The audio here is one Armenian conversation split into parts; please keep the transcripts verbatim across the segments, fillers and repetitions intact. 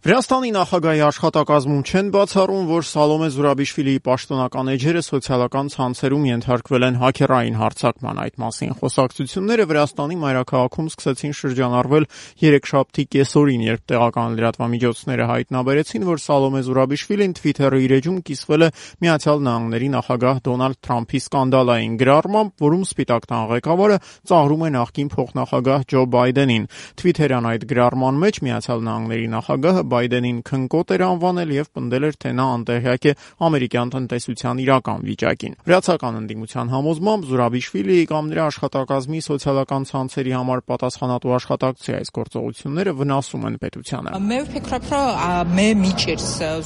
Վրաստանի նախագահի աշխատակազմում չեն բացառում, որ Սալոմե Զուրաբիշվիլիի պաշտոնական էջերը սոցիալական ցանցերում ենթարկվել են հաքերային հարձակման։ Այդ մասին խոսակցությունները Վրաստանի մայրաքաղաքում սկսեցին շրջանառվել երեքշաբթի կեսօրին, երբ տեղական լրատվամիջոցները հայտնաբերեցին, որ Սալոմե Զուրաբիշվիլին Twitter-ի իր էջում կիսվել է Միացյալ Նահանգների նախագահ Դոնալդ Թրամփի սկանդալային գրառմամբ, որում Սպիտակ տան ղեկավարը ծաղրում է նախկին փոխնախագահ Ջո Բայդենին։ Twitter-յան այդ գրառման մեջ Միացյալ Նահանգների նախագահը Բայդենին քնկոտ էր անվանել եւ պնդել էր, թե նա անտեղյակ է ամերիկյան տնտեսության իրական վիճակին։ Վրացական ընդդիմության համոզմամբ Զուրաբիշվիլիի կամ նրա աշխատակազմի սոցիալական ցանցերի համար պատասխանատու աշխատակցի այս գործողությունները վնասում են պետությանը։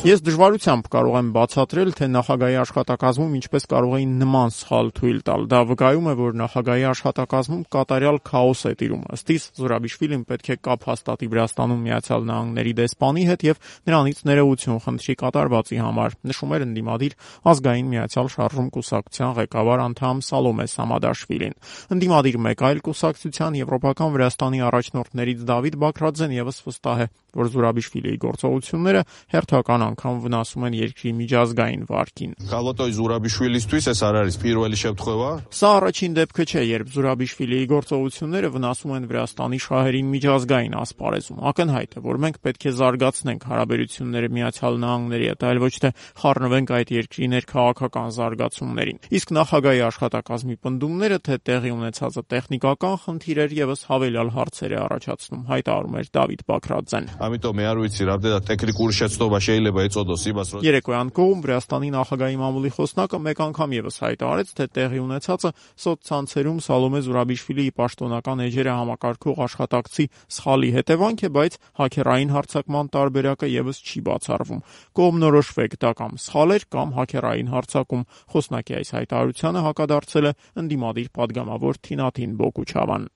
Ես դժվարությամբ կարող եմ բացատրել, թե նախագահի աշխատակազմում ինչպես կարող էին նման սխալ թույլ տալ։ Դա վկայում է, որ նախագահի աշխատակազմում կատարյալ քաոս է տիրում։ Ըստ իս Զուրաբիշվիլին պետք է կապ հաստատի Վրաստանում Միացյալ Նահանգների դեսպանի հետ եւ նրանից ներողություն խնդրի կատարվածի համար, նշում էր ընդդիմադիր ազգային միացյալ շարժում կուսակցության ղեկավար անդամ Սալոմե Սամադաշվիլին։ Ընդդիմադիր մեկ այլ կուսակցության եվրոպական Վրաստանի առաջնորդներից Դավիթ Բաքրաձեն եւս վստահ է, որ Զուրաբիշվիլիի գործողությունները հերթական անգամ վնասում են երկրի միջազգային վարկին։ Սա առաջին դեպքը չէ, երբ Զուրաբիշվիլիի գործողությունները վնասում են Վրաստանի շահերին միջազգային ասպարեզում։ Ակնհայտ է, որ մենք պետք է զարգացնենք հարաբերությունները Միացյալ Նահանգների հետ, այլ ոչ թե խառնվենք այդ երկրի ներքաղաքական զարգացումներին։ Իսկ նախագահի աշխատակազմի պնդումները, թե տեղի ունեցածը տեխնիկական խնդիր էր, եւս հավելյալ հարցեր է առաջացնում, հայտարարում էր Դավիթ Բաքրաձեն։ Երեկոյան կողմ Վրաստանի նախագահի մամուլի խոսնակը մեկ անգամ եւս հայտարարեց, թե տեղի ունեցածը սոցցանցերում Սալոմե Զուրաբիշվիլիի պաշտոնական էջերը համակարգող աշխատակցի սխալի հետևանք է, բայց հաքերային հարձակման տարբերակը եւս չի բացառվում։ Կողմնորոշվեք, դա կամ սխալ էր, կամ հաքերային հարձակում։ Խոսնակի այս հայտարարությանը հակադարձել է ընդդիմադիր պատգամավոր Թինաթին Բոկուչավան։